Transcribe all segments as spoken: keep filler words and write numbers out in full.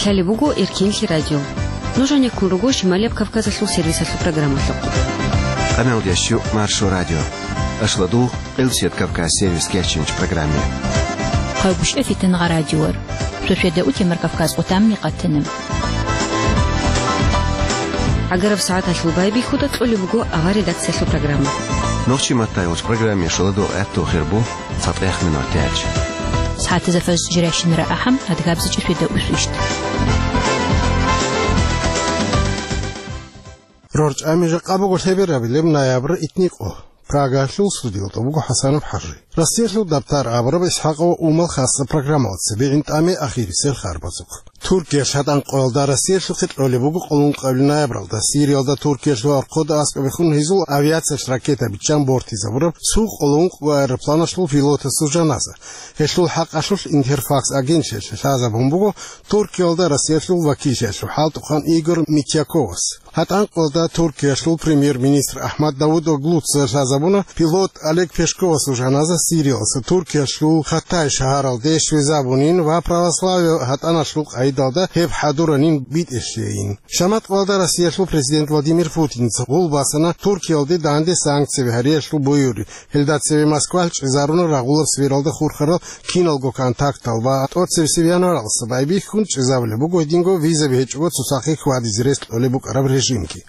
Талеб буго Эркинлъи радио. Нуж гьанеккун руго Шималияб Кавказалъул сервисалъул программалъухъ. Къамел ящу Маршо радио. Ашладу Къилсият Кавказ сервис кечинч программе. Хъайгушев Фитнагъа радиор. Шошеда утемар Кавказ къутамни къатана. Агараб сагӀаталъул байбихьуда кьолеб буго авар редакциялъул программа. Нохчи матайулч программе шоладу гӀатту хирбу. ЦатӀех минут тяч. СагӀатазда фарз жирайщинара ахӀам, адгабзичӀи шведа усвищ. РорчӀами жакъа буго лъеберабилеб ноябрь итникъо. Прагалъул студиялда буго ХӀасанов ХӀажи. Россиялъул дабтар абураб ИсхӀакъов Умал хасса программалда цебе гӀинтӀаме ахирисел харбазухъ. Туркия шатӀан къоялда Россиялъухъе кьолеб буго къоло ункъабилеб ноябралда. Сириялда Туркиялъул архъуда аскӀобехун гьезул авиациялъ ракета биччан бортизабураб цо къоло ункъго аэропланалъул пилотасул жаназа. Гьелъул хӀакъалъулъ Интерфакс агентлъиялъе лъазабун буго Туркиялда Россиялъул вакиллъиялъул хӀалтӀухъан Игор Митьяковас. ГьатӀан къоялда Туркиялъул премьер-министр Ахмад Давутоглуца лъазабуна пилот Олег Пешковасул жаназа Сириялъа Туркиялъул Хаттай шагьаралде щвезабунин ва православие гьатӀаналъул къайдалда гьеб хӀадуранин битӀелъейин. Шамат къоялда Россиялъул президент Владимир Путинца гъул басана Туркиялде данде санкцияби гьариялъул буюри. Гьелда цеве Москвалъ чӀезаруна рагъулаб сфералда хурхарал киналго контактал ва тӀоцебесеб январалдаса байбихьун чӀезабулеб буго гьединго визаби гьечӀого цоцахъе хьвадизе рес кьолеб букӀараб режимги.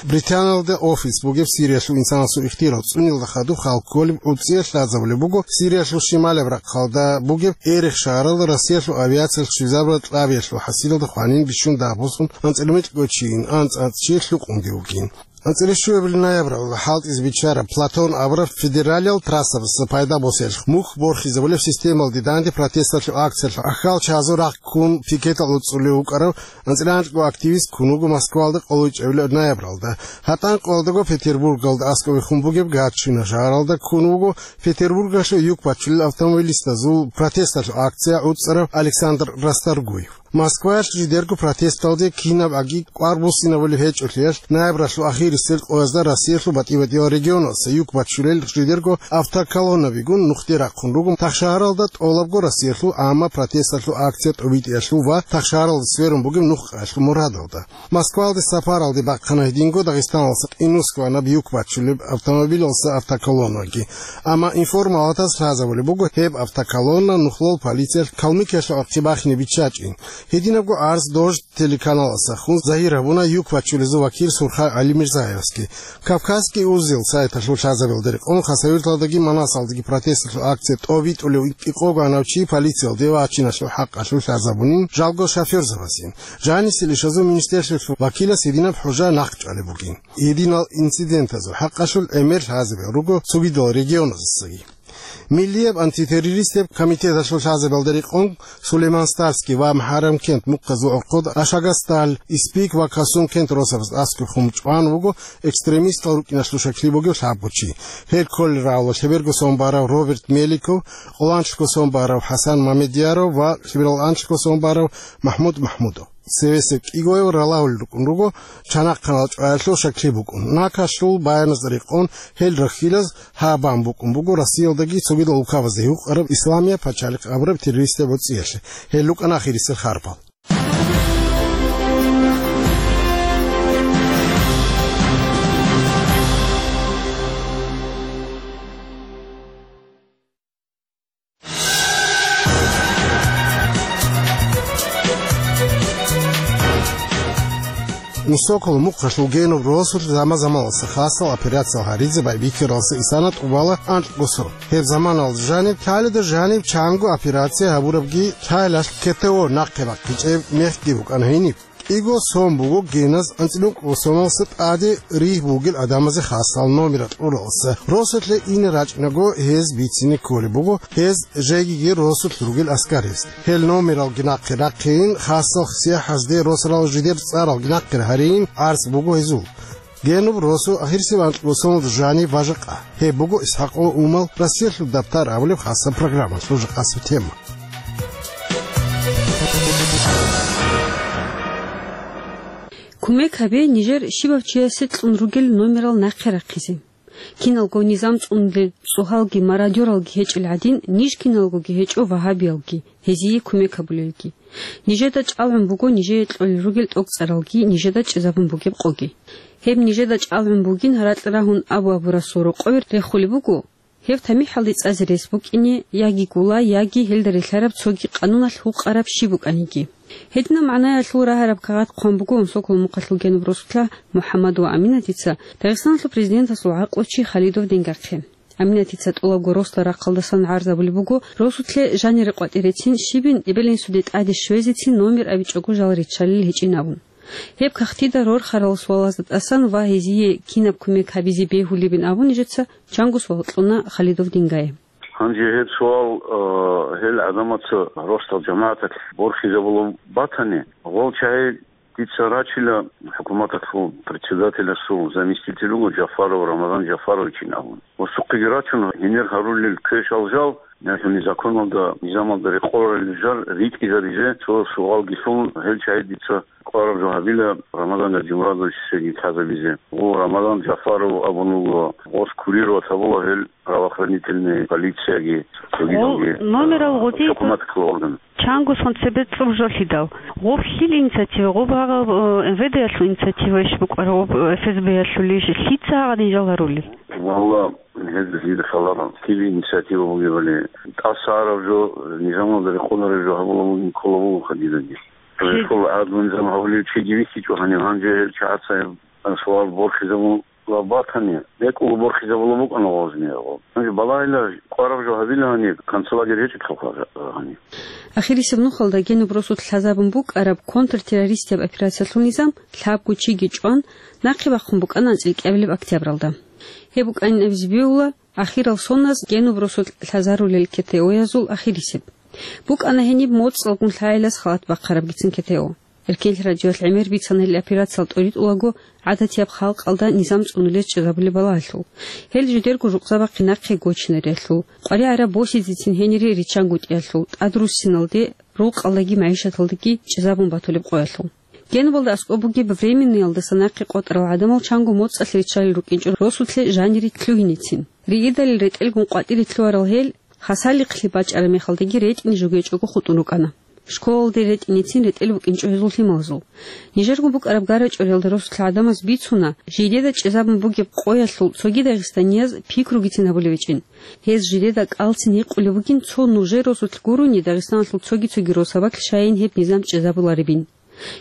Британиялда офис бугеб Сириялъул инсанасул ихтияр цӀунилда хадуб хал кколеб гӀуцӀиялъ лъазабулеб буго Сириялъул шималаб рахъалда бугеб Эрех шагьаралда Россиялъул авиациялъ щвезабураб кьабиялъул хӀасилалда хванин бищун дагьбуссун анцӀила микьго чийин анцӀ-анцӀ чи лъукъунги вукӀин. АнцӀила щуабилеб ноябралда хӀалтӀизе биччараб Платон абураб федералиял трассабаз пайда босиялъ мухь борхизабулеб системалде данде протесталъул акциялъ ахьал чагӀазул рахъ ккун пикеталда цӀулев вукӀарав анцӀила анкьго активист ккун вуго Москвалда къоло ичӀабилеб ноябралда. ГьатӀан къоялдаго Петербургалда аскӀовехун бугеб Гатчина шагьаралда ккун вуго Петербургалъул юк бачулел автомобилистазул протесталъул акция гӀуцӀарав Александр Расторгуев. Москваялъ жидерго протесталде кинаб аги кӀвар буссинабулеб гьечӀолъиялъ, ноябралъул ахирисел къоязда Россиялъул батӀи-батӀиял регионалдаса юк бачулел жидерго автоколоннабигун нухде рахъун руго тахшагьаралда тӀолабго Россиялъул гӀамма протесталъул акция тӀобитӀиялъул ва тахшагьаралда сверун бугеб нухъаялъул мурадалда. Москвалде сапаралде бахъана гьединго Дагъистаналдаса къинусго ванаб юк бачулеб автомобилалдаса автоколоннаги. Амма информалатаз лъазабулеб буго гьеб автоколонна нухлол полициялъ Калмыкиялъул ахъи бахине биччачӀин. Гьединабго гӀарз Дождь телеканаласда хун загьир гьабуна юк бачулезул вакил Сурхай ГӀалимир Заевский. Кавказский узел сайталъул лъазабиялда рекъон Хасавюрталдаги Манасалдаги протесталъул акция тӀобитӀулев кӀикъого гьанав чи полициялде вачиналъул хӀакъалъулъ лъазабунин жалго шофёрзабазин. Жанисел ишазул министерствоялъул вакилас гьединаб хӀужа нахъчӀвалеб бугин. Гьединал инцидентазул хӀакъалъулъ гӀемер лъазабиялъ руго цогидал регионаздасаги. Миллияб антитеррористияб комитеталъул лъазабиялда рекъон Сулейман-Стальский ва МухӀаррамкент мухъазул гӀорхъода Ашагасталь, Испик ва Касумкент росабаз аскӀовехун чӀван вуго экстремистал рукӀиналъул шаклъи бугев лъабго чи. Гьел кколел рагӀула лъеберго сон барав Роберт Меликов, къоло анлъго сон барав ХӀасан Мамедъяров ва лъеберал анлъго сон барав МахӀмуд МахӀмудов. Цевесеб кӀигояв ралагьулел рукӀун руго, чанахъанал чӀваялъул шаклъи букӀун. Накалъул баяназда рекъон гьел рахьилаз гьаб бан букӀун буго Россиялдаги цогидал улкабазда гьукъараб Исламияб пачалихъ абураб террористияб гӀуцӀиялъе. Гьел рукӀана ахирисел харпал. Мусокол мухъалъул генуб росулъ заман-заманалса хасал операциял гьаризе байбихьаралса исана тӀубала анкьго сон. Гьеб заманалда жаниб, лъаледа жаниб чанго операция гьабурабги, лъалалъ КТО нахъе бахъичӀеб мехги букӀана гьениб. КӀиго сон буго геназ анцӀила ункъго соналса тӀаде ригь бугел гӀадамазе хасал номерал кьуралса. Росулъе ине рачӀинаго гьез бицине кколеб буго гьез жегиги росулъ ругел аскарасде. Гьел номералги нахъе рахъейин, хасал сияхӀазде росарал жидер цӀаралги нахъе гьарейин гӀарц буго гьезул. Генуб росу ахирисеб анкьго соналда жаниб ва жакъа. Гьеб буго ИсхӀакъов Умал Россиялъул дабтар абулеб хасаб программалъул жакъасеб тема. Кумек гьабе нижер щибав чиясе кьун ругел номерал нахъе рахъизе. Киналго низам цӀунулел цӀугьалги мародёралги гьечӀел гӀадин, ниж киналгоги гьечӀо вагьабиялги, гьезие кумек гьабулелги. Нижеда чӀалгӀун буго нижее кьолел ругел тӀокӀцӀаралги нижеда чӀезабун бугеб къоги. Гьеб нижеда чӀалгӀун бугин гьаракь рагьун абу-абурасул рокъове рехулеб буго, гьеб тамихӀалде цӀазе рес букӀине яги гула, яги гьелда релълъараб цоги къануналъ гьукъараб щиб букӀаниги. Гьединаб магӀнаялъул рагьараб кагъат хъван буго Унсоколо Мухъалъул генуб росулъа МухӀаммад ва Аминатица Дагъистаналъул президентасул гӀакълучи Халидов Дингахъе. Аминатица тӀолабго росла рахъалдасан гӀарзабулеб буго, росулъе жанире къватӀирецин, щибин эбел-инсуде тӀаде щвезецин номер абичӀого жал риччалел гьечӀин абун. Гьеб кагътида рорхарал суалазда тӀасан ва гьезие кинаб кумек гьабизе бегьулебин абун нижеца чанго суал кьуна Халидов Дингае. Гьанже гьеб суал, э, гьел гӀадамаца росдал жамагӀаталъ борхизабулеб батани, гъол чагӀи дица рачила, хӀукуматалъул председателасул заместитель вуго Жафаров, Рамазан Жафаровичин абун. Ва сухъеги рачун гьенир гьарулел квешал жал, яни законалда, низамалда рекъоларел жал ритӀизабизе цо суалги лъун, гьел чагӀи дица кӀвараб жо гьабила Рамазан Гаджимурадовичасеги лъазабизе. Гъо Рамазан Жафаров абун вуго, гъос курировать гьабула гьел правоохранительный полицияги, цогидалги, номерал э, гъудей хӀукуматалъул орган. Чангосун цебе цӀуб жолъидал. Гъоб лъил инициатива, гъоб гьагъаб, э, МВД-ялъул инициатива иш букӀараб, гъоб, э, ФСБ-ялъул иш, лъица гьагъадин жал гьарулел? Валла, гьез дида лъаларал, лъил инициатива бугебали, тӀаса араб жо, низамалда рекъолареб жо гьабула бугин ккола бугоха дидаги. Жи- Рехъул гӀадлу низам гьавулев чиги вихьичӀо гьанив, гьанже гьел чагӀаца гьеб суал борхизабула батани, бекӀулго борхизабула букӀана гъозни гьаб. Гьанже балагьила кӀвараб жо гьабила гьаниб, концлагерь гьечӀелъулха гьаниб. Ахирисеб нухалда генуб росулъ лъазабун букӀараб контртеррористияб операциялъул низам лъабго чиги чӀван, нахъе бахъун букӀана анцӀил кӀиабилеб октябралда. Гьеб букӀанин абизе бегьула ахирал соназ генуб росулъ лъазарулел КТО-язул ахирисеб. БукӀана гьениб моцӀалгун лъагӀелас халат бахъарабгицин КТО. Эркенлъи радиоялъ гӀемер бицана гьел операциялъ тӀоритӀулаго гӀадатияб халкъалда низам цӀунулез чӀезабулеб балагьалъул, гьел жидерго жукъзабахъе нахъе гочинариялъул, къваригӀараб босизецин гьенире риччангутӀиялъул, тӀадруссиналде, рукъалдаги магӀишаталдаги чӀезабун батулеб къоялъул. Генубалда аскӀоб бугеб Временныйялдаса нахъе къотӀарал гӀадамал чанго моцӀалъ риччалел рукӀинчӀо росулъе жанире лъугьиницин. Ригидалил ретӀелгун къватӀире лъугьарал гьел, хасалихълъи бачӀараб мехалдаги ретӀине жугьечӀого хутӀун рукӀана. Школалде ретӀинецин ретӀел букӀинчӀо гьезул лъималазул. Нижерго букӀараб гарачӀориялда росулъ гӀадамаз бицуна, жидеда чӀезабун бугеб къоялъул цоги дагъистанияз пикругицин гьабулеб гьечӀин. Гьез жидеда кӀалцин гьикъулеб бугин цо нужер росулъ гурони Дагъистаналъул цоги-цоги росабалъ щайин гьеб низам чӀезабуларебин.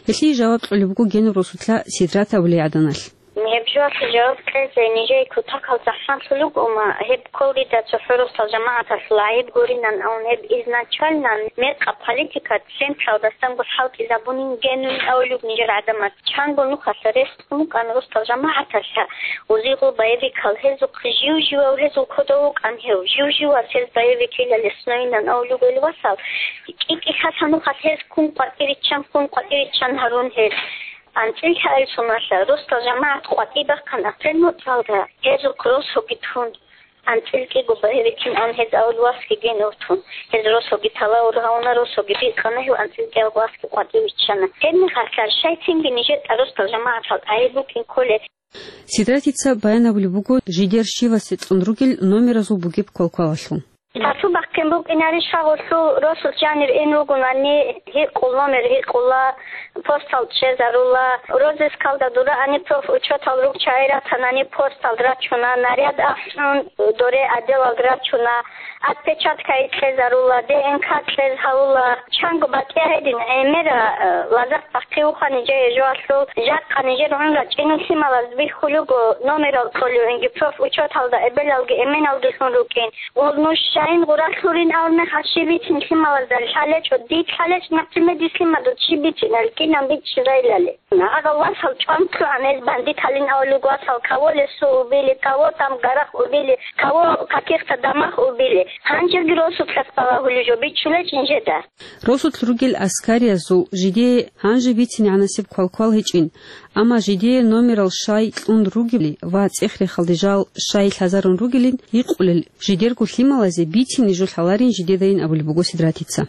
Гьелъие жаваб кьолеб буго генуб росулъа Сидрат абулей гӀаданалъ. Гьеб жоялъе жаваб кьезе нижее кутакал захӀмалъулеб бугома, гьеб кколдида цохӀо росдал жамагӀаталъул гӀайиб гуринан, амма гьеб изначально мекъаб политика централдасанго хӀалтӀизабунин генун авулеб нижер гӀадамаз. Чанго нухалъа рес кьун букӀан росдал жамагӀаталъа, узигъул боевикал гьезухъ жив-живав гьезул кодов вукӀан гьев, жив-живас гьез боевикила лесноинан авулеб гьел васал, кӀи-кӀи лъалъа нухалъ гьез ккун къватӀириччан, ккун къватӀириччан гьарун гьез. АнцӀил лъаил соналъа росдал жамагӀат къватӀиб бахъана Пленмуцалда, гьезухъ росоги тун. АнцӀил кӀиго боевикин ан гьез авул васги генув тун. Гьез росоги талавур гьавуна, росоги бикъана, гьев анцӀил кӀиялго васги къватӀиб виччана. Гьебмехалъа щайцинги нижер тӀа росдал жамагӀатал гӀайиб букӀин кколеб. Сидратица баян гьабулеб буго жидер щивасе кьун ругел номеразул бугеб квалквалалъул. Гьасул бахъин букӀинари шагъулъул росулъ жанир ин ругунани, гьикъул номер гьикъула, постал чӀезарула, розыскалда дураани профучётал ругчагӀи ратанани постал рачуна, наряд ахӀун доре отделалда рачуна, отпечатка кьезарула, ДНК кьез гьавула. Чанго батӀияб гьедин гӀемера, э, лазакь бахъи вуха нижее жоялъул, жакъа нижер гӀун рачӀинул лъималаз бихьулего номерал кьолевинги профучёталда эбелалги эменалги лъун рукӀин. Гъур нуж щайин гъуралъурин абун мехалъ щиб бицин лъималазда лъалечӀо, дид лъалечӀ, например, дислъимадул щиб бицин алкӀинан бичӀчӀизайилали. Гьагъав васал чӀван кьугӀан гьез бандиталин авлуг васал, кого лесо убили, кого там гарах убили, кого каких-то домах убили. Гьанжеги росулъас балагьулев жо бичӀчӀулечӀин жеда. Росулъ ругел аскариязул жидее гьанже бицинегӀанасеб квалквал гьечӀин, амма жидее номерал щай кьун ругели ва цӀех-рехалде жал щай лъазарун ругелин гьикъулел жидерго лъималазе бицине жо лъаларин жидедайин абулеб буго Сидратица.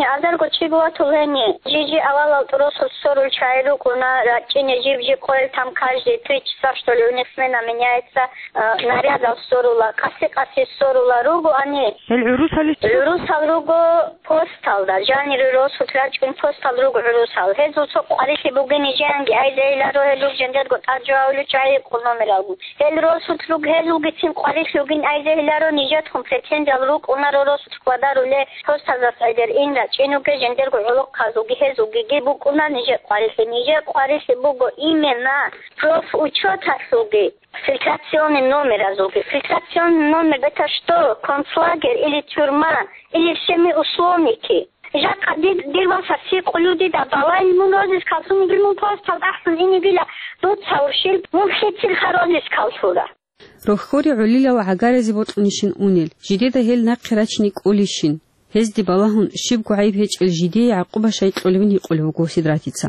Азарго чи гуатул гьени, жижи авалал тӀуросул ссорул чагӀи рукӀуна, рачӀине жиб-жиб къойл там каждые три часа, что ли, у них смена меняется, э, нарядал ссорула, къаси-къаси ссорула руго ани. Гьел гӀурусали чи? ГӀурусал руго посталда, жанире росулъ рачӀун постал руго гӀурусал. Гьезул цо къварилъи бугин нижеянги айзейиларо, гьел руг жендерго тӀад жо гьавулев чагӀи къул номералгун. Гьел росулъ руг, гьезулгицин къварилъи бугин айзейиларо, нижецхун претензиял рукӀунаро росулъ хьвадаруле, Посталдаса гӀедер ин рачӀинуге, жендерго гӀолохъазулги гьезулгиги букӀуна нижер къварилъи. Нижер къварилъи буго именно профучёталъулги, фильтрационный номеразулги. Фильтрационный номер — это что? Концлагерь или тюрьма, или всеми условники? Жакъа дир, дир васаси къулудида балай мун розис калсунигил мун постал тӀахьун инигила дуца уршил, мун хицил ха розис калсура. Рохьори гӀолилал гӀагаразе бокьунищин унел, жидеда гьел нахъе рачине кӀолищин? Гьезде балагьун, щибго гӀайиб гьечӀел жидее гӀакъуба щай кьолебин гьикъулев вуго Сидратица.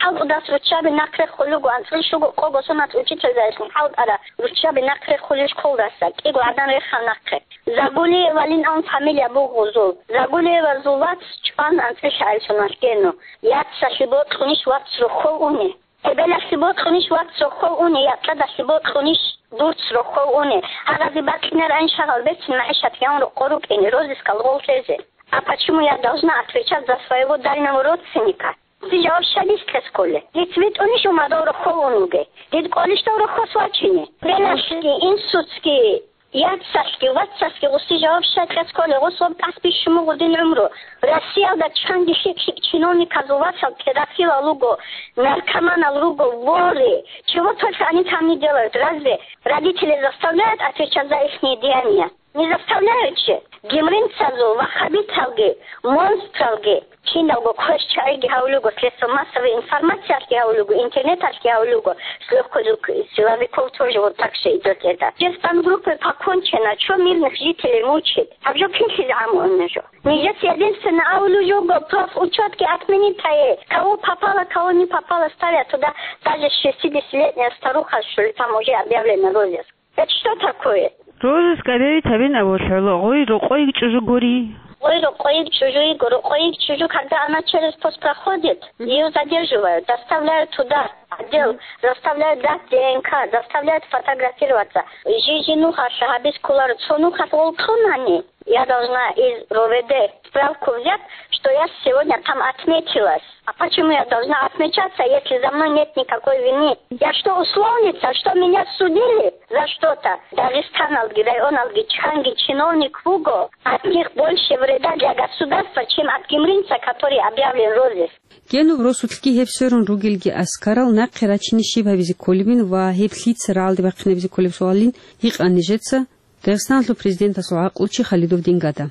ХӀалтӀудас руччаби нахъ реххулего, анцӀил щуго къого соналъ учительзайилъун хӀалтӀара руччаби нахъ реххулел школдаса, кӀиго гӀадан рехал нахъе. Загулиевалин абун фамилия буго гъузул. Загулиевазул вац чӀван анцӀил гӀайилъуналъ гьенив. Яцалъе бокьунищ вац рохьов уни? Эбелалъе бокьунищ вац рохьов уни, якьадалъе бокьунищ дурц рохьов уни? Гьаразе бакьинаран шагьал бецин магӀишат гьавун рокъор рукӀине, розискал гъол лъезе. А почему я должна отвечать за своего дальнего родственника? Диж вообще дис кьес кколе? Диц витӀунищ умадал рохьов ун вуге? Дид кӀолищ дов рохьос вачине? Эбелалъги, инсуцги, Яцалъги, вацалъги гъуси жаваб щай кьес кколе, гъус ва тӀас бищун буго дин гӀумру. Россиялда чанги лъикӀ-лъикӀ чиновниказул вацал педофилал руго, наркоманал руго, воры. Чего только они там не делают. Разве родители заставляют отвечать за ихние деяния? Не заставляют же. Гимринцазул, ваххабиталги, монстралги. Киналго квеш чагӀиги гьавулего, средства массовой информациялъги гьавулего, интернеталъги гьавулего, с лёгкой руки силовиков тоже вот так же идёт это. Те спецгруппы покончено, чё мирных жителей мучить? Гьаб жо кинлъизе гӀамуна жо? Нижец единственно авулев жого, профучётги отменить гьае. Кого попало, кого не попало, ставят туда, даже шестидесятилетняя старуха, что ли, там уже объявлена розыск. Это что такое? Розыск объявить гьабин абулъ гӀоло, гъой рокъойги чӀужу гури. Гъой рокъойги чӀужу йиго, рокъойги чӀужу, когда она через пост проходит, её задерживают, доставляют туда, отдел, заставляют дать ДНК, заставляют фотографироваться. Жи-жи нухалъ гьабиз кколаро, цо нухалъ волкьунани, я должна из РОВД справку взять, что я сегодня там отметилась. А почему я должна отмечаться, если за мной нет никакой вины? Я что, условница, что меня судили за что-то? Дагъистаналги, районалги чанги чиновник вуго, от них больше вреда для государства, чем от гимринца, который объявлен розыск. Генуб росулъги гьеб сверун ругелги аскарал нахъе рачине щиб гьабизе кколебин ва гьеб лъица рагӀалде бахъинабизе кколеб суалин гьикъан нижеца Дагъистаналъул президентасул гӀакълучи Халидов Дингада.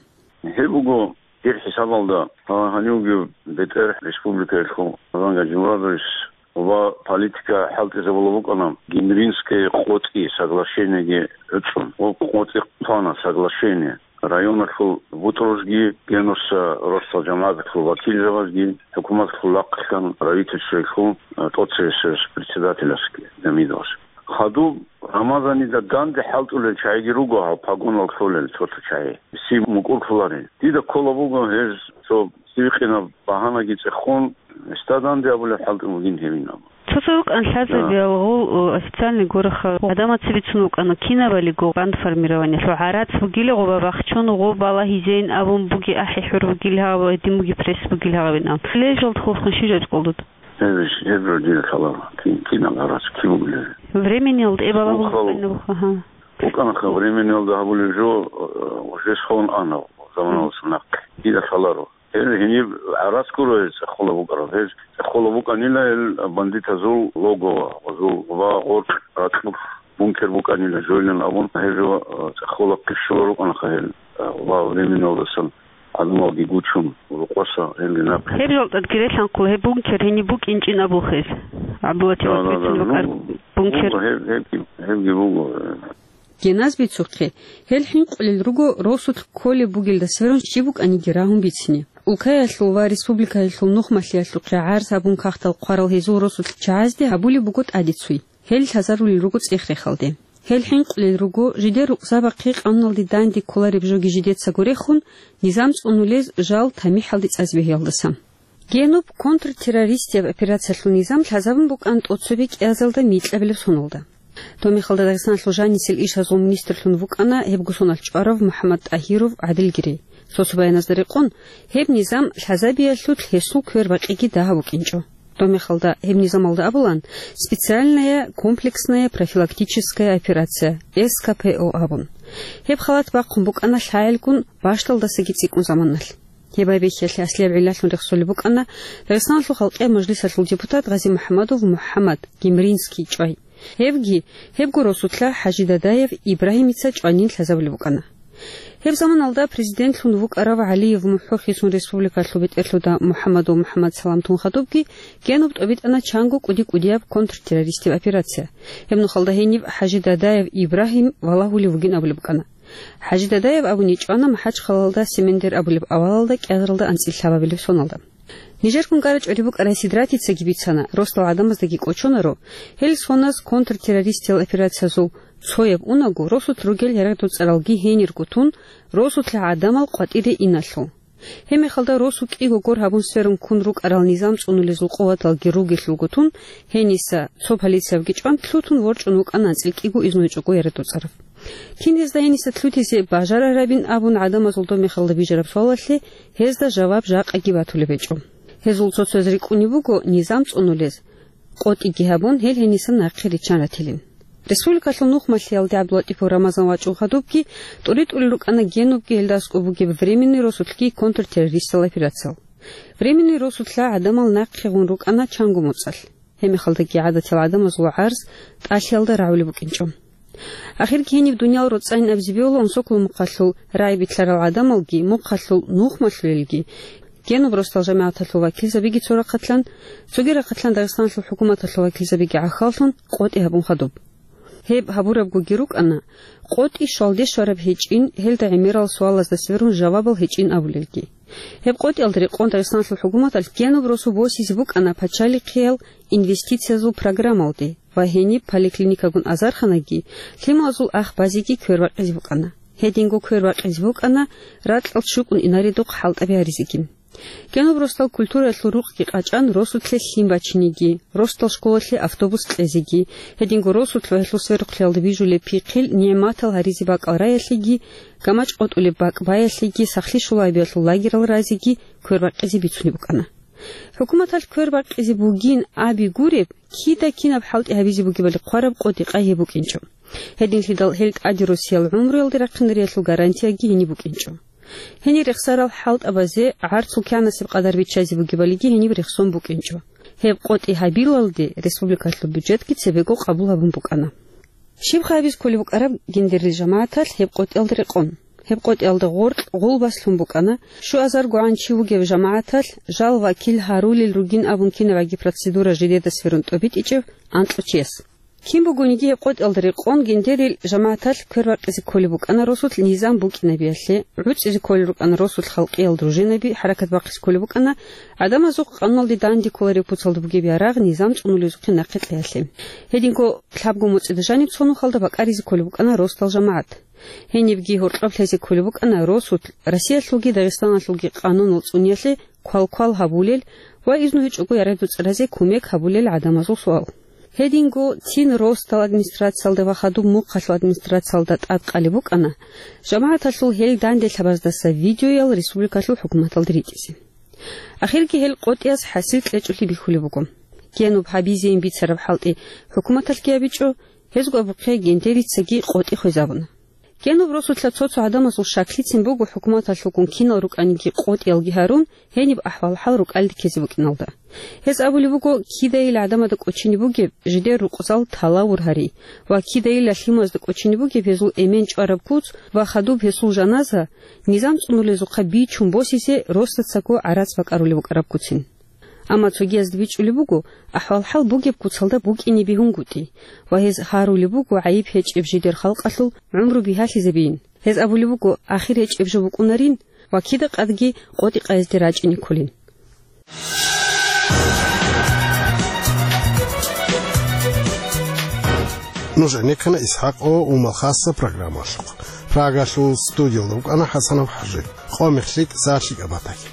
Гьеб буго дир хӀисабалда, гьанивги бетӀер республикаялъул Рамзан Гаджимурадович ва политика хӀалтӀизабула букӀана Гимринское къотӀи соглашениеги гӀуцӀун. Ва къотӀи хъвана соглашение. Районалъул бутӀрузги Генуса росдал жамагӀаталъул вакилзабазги, хӀукуматалъул лагълъан правительствоялъул, а, тӀоцебесеб председателасги Гьамидовас. Хадуб Рамазанида данде хӀалтӀулел чагӀиги руго гьав погонал кколел цо-цо чагӀи. Си мукӀурлъуларел. Дида ккола буго гьез цо сивикъинаб багьанаги цӀехун, гьесда данде абулеб хӀалтӀи бугин гьевин абун. Цо-цо рукӀан лъазабиялгъул, о, официальный гораха гӀадамаца бицун вукӀана кинабалиго бандформированиялъул гӀарац бугила гъоба бахчун гъо балагьизейин абун буги ахӀи хӀур бугил гьав ва гьедин буги пресс бугил гьавин абун. Лежалд хулхун щижаб кьолдуд? Гьеб иш, гьеб жо дида лъаларо. Кин, кинал гьарац, кин вугилари? Времениял тӀе балагьун букӀана, букӀана. Агьа. БукӀанаха, времениялда гьабулеб жо, э, уже сон ана, заманалъ нахъе. Дида лъаларо. Гьел гьениб гӀарац гуро гьез цӀехола букӀараб. Гьез цӀехола букӀанила гьел бандитазул логово, гъозул ва гъоркь ракьулъ бункер букӀанила жойлан абун, гьел жо, э, цӀехола хъищула рукӀанаха гьел, э, ва времениялдасан гӀадамалги гучун, рукъоса гьелги нахъе. Гьеб жолтӀадги релъанхъул гьеб бункер гьениб букӀинчӀин абулхъ гьез. ГӀабдулатип Да, да, да, Ахмедовичун ну, рукӀар бункер. Буго, гьеб, гьеб, гьебги буго, э. Геназ бицухъе, гьел хӀинкъулел руго росулъ кколеб бугелда сверун щиб букӀаниги рагьун бицине. Улкаялъул ва республикаялъул нухмалъиялъухъе гӀарз гьабун кагътал хъварал гьезул росулъ чагӀазде гьабулеб буго тӀадеццуй. Гьел лъазарулел руго цӀех-рехалде. Гьел хӀинкъулел руго, жидер рукъзабахъе къануналде данде кколареб жоги жидецаго рехун, низам цӀунулез жал тамихӀалде цӀазе бегьиялдаса. Генуб контртеррористияб операциялъул низам лъазабун букӀана тӀоцебе кӀиазалда микьабилеб соналда. Доб мехалда Дагъистаналъул жанисел ишазул министрлъун вукӀана гьебго сонал чӀварав МухӀаммад ТӀагьиров ГӀадилгири. Цо-цо баяназда рекъон, гьеб низам лъазабиялъулъ гьесул квербакъиги дагьаб букӀинчӀо. Доб мехалда гьеб низамалда абулан, специальная комплексная профилактическая операция, С К П О абун. Гьеб халат бахъун букӀана лъагӀелгун бащдалдасаги цӀикӀкӀун заманалъ. Гьеб байбихьиялъе аслияб гӀиллалъун рехсолеб букӀана Дагъистаналъул халкъияб мажлисалъул депутат ГъазимухӀамадов МухӀаммад Гемринский чӀвай. Гьевги, гьебго росулъа ХӀажи Дадаев Ибрагьимица чӀванин лъазабулеб букӀана. Гьеб заманалда президентлъун вукӀарав ГӀалиев МухӀо хисун республикалъул бетӀерлъуда МухӀаммадов МухӀаммад саламлъун хадубги Генуб тӀобитӀана чанго кӀуди-кӀудияб контртеррористияб операция. Гьеб нухалда гьениб ХӀажи Дадаев Ибрагьим валагьулев вугин абулеб букӀана. ХӀажи Дадаев абуни чӀвана МахӀачхъалалда Семендер абулеб авалалда кӀиазаралда анцӀила лъабабилеб соналда. Нижер кункара чӀвари букӀарай Сидратицаги бицана, росдал гӀадамаздаги кӀочонаро, гьел соназ контртеррористиял операциязул цояб унаго, росулъ ругел ярагъдул цӀаралги гьенирго тун, росулъа гӀадамал къватӀире иналъул. Гьеб мехалда росу кӀиго гор гьабун сверун ккун рукӀарал низам цӀунулезул къуваталги ругелъулго тун, гьениса цо полициявги чӀван лъутун ворчӀун вукӀана анцӀила кӀиго изну гьечӀого ярагъдул цӀарав. Кин гьезда гьениса лъутизе бажарарабин абун гӀадамазул доб мехалда бижараб суалалъе гьезда жаваб жакъаги батулеб гьечӀо. Гьезул цо-цояз рикӀкӀунеб буго низам цӀунулез, къотӀиги гьабун, гьел гьенисан нахъе риччан ратилин. Республикалъул нухмалъиялде ГӀабдулатӀипов Рамазан вачӀун хадубги, тӀури-тӀурел рукӀана Генубги гьелда аскӀоб бугеб Временный росулъги контртеррористал операциял. Временный росулъа гӀадамал нахъе гъун рукӀана чанго моцӀалъ. Гьеб мехалдаги гӀадатиял гӀадамазул гӀарз тӀалъиялда рагӀулеб букӀинчӀо. Ахирги гьениб дуниял роцӀцӀайин абизе бегьула Унсоколо мухъалъул рагӀи битӀарал гӀадамалги, мухъалъул нухмалъулелги, Генуб росдал жамагӀаталъул вакилзабиги цо рахъалъан, цоги рахъалъан Дагъистаналъул хӀукуматалъул вакилзабиги гӀахьаллъун къотӀи гьабун хадуб. Гьеб гьабурабгоги рукӀана, къотӀи щвалде щвараб гьечӀин, гьелда гӀемерал суалазда сверун жавабал гьечӀин абулелги. Гьеб къотӀиялда рекъон Дагъистаналъул хӀукуматалъ Генуб росу босизе букӀана пачалихъиял инвестициязул программалде ва гьениб поликлиникагун азарханаги, лъималазул ах базеги квербакъизе букӀана. Гьединго квербакъизе букӀана ракьалъ щукӀун инаредухъ хӀалтӀаби гьаризеги. Генуб росдал культураялъул рукъги къачӀан росулъе лъим бачинеги, росдал школалъе автобус кьезеги, гьединго росулъ ва гьелъул сверухълъиялда бижулеб пихъил нигӀматал гьаризе бакӀал раялъеги, гамачӀ къотӀулеб бакӀ баялъеги, сахлъи щулабиялъул лагерал разеги квербакъизе бицунеб букӀана. ХӀукуматалъ квербакъизе бугин аби гуреб, кида кинаб хӀалтӀи гьабизе бугебали хъвараб къотӀи-къай гьеб букӀинчӀо. Гьединлъидал гьел тӀаде росиял гӀумруялде рахъинариялъул гарантияги гьениб букӀинчӀо. Гьенир рехсарал хӀалтӀабазе гӀарцул кянасеб къадар биччазе бугебалиги гьениб рехсон букӀинчӀо. Гьеб къотӀи гьабилалде республикалъул бюджетги цебего къабул гьабун букӀана. Щибха гьабизе кколеб букӀараб гендерил жамагӀаталъ гьеб къотӀиялда рекъон? Гьеб къотӀиялда гъоркь гъулбас лъун букӀана, щуазаргогӀан чи вугев жамагӀаталъ жал вакил гьарулел ругин абун кинабгӀаги процедура жидеда сверун тӀобитӀичӀев анкьучияс. Кин бугониги гьеб къотӀиялда рекъон гендерил жамагӀаталъ квербакъизе кколеб букӀана росулъ низам букӀинабиялъе, гӀуцӀизе кколел рукӀана росулъ халкъиял дружинаби хӀаракат бахъизе кколеб букӀана, гӀадамазухъ къануналде данде кколареб куцалда бугеб ярагъ низам цӀунулезухъе нахъе кьеялъе. Гьединго лъабго моцӀида жаниб цо нухалда бакӀаризе кколеб букӀана росдал жамагӀат. Гьенибги гьоркьоб лъезе кколеб букӀана росулъ Россиялъулги Дагъистаналъулги къанунал цӀуниялъе квалквал гьабулел ва изну гьечӀого ярагъдул цӀаразе кумек гьабулел гӀадамазул суал. Гьединго цин росдал администрациялда ва хадуб мухъалъул администрациялда тӀадкъалеб букӀана жамагӀаталъул гьел данделъабаздаса видеоял республикалъул хӀукуматалде ритӀизе. Ахирги гьел къотӀиялъ хӀасил кьечӀолъи бихьулеб буго. Генуб гьабизейин бицараб хӀалтӀи хӀукуматалъги гьабичӀо, гьезго абухъе гендерицаги къотӀи хвезабуна. Генуб росулъа цо-цо гӀадамазул щаклъицин буго хӀукуматалъулгун кинал рукӀаниги къотӀиялги гьарун, гьениб ахӀвал-хӀал рукӀалде ккезе букӀиналда. Гьез абулеб буго, кидайил гӀадамазда кӀочине бугеб жидер рукъзал талавур гьари ва кидайилла лъимазда кӀочине бугеб гьезул эмен чӀвараб куц ва хадуб гьесул жаназа низам цӀунулезухъа бичун босизе росдацаго гӀарац бакӀарулеб букӀараб куцин. Амма цогиязда бичӀчӀулеб буго, ахӀвал-хӀал бугеб куцалда букӀине бегьунгутӀи, ва гьез гьарулеб буго гӀайиб гьечӀеб жидер халкъалъул гӀумру бигьалъизабейин. Гьез абулеб буго, ахир гьечӀеб жо букӀунарин ва кида къадги къотӀи-къайизде рачӀине кколин. Нуж гӀенеккана ИсхӀакъ ва Умал хасса программалъухъ. Прагалъул студиялда рукӀана ХӀасанов ХӀажи. Къо мехлъи, сахлъи кӀабатаги.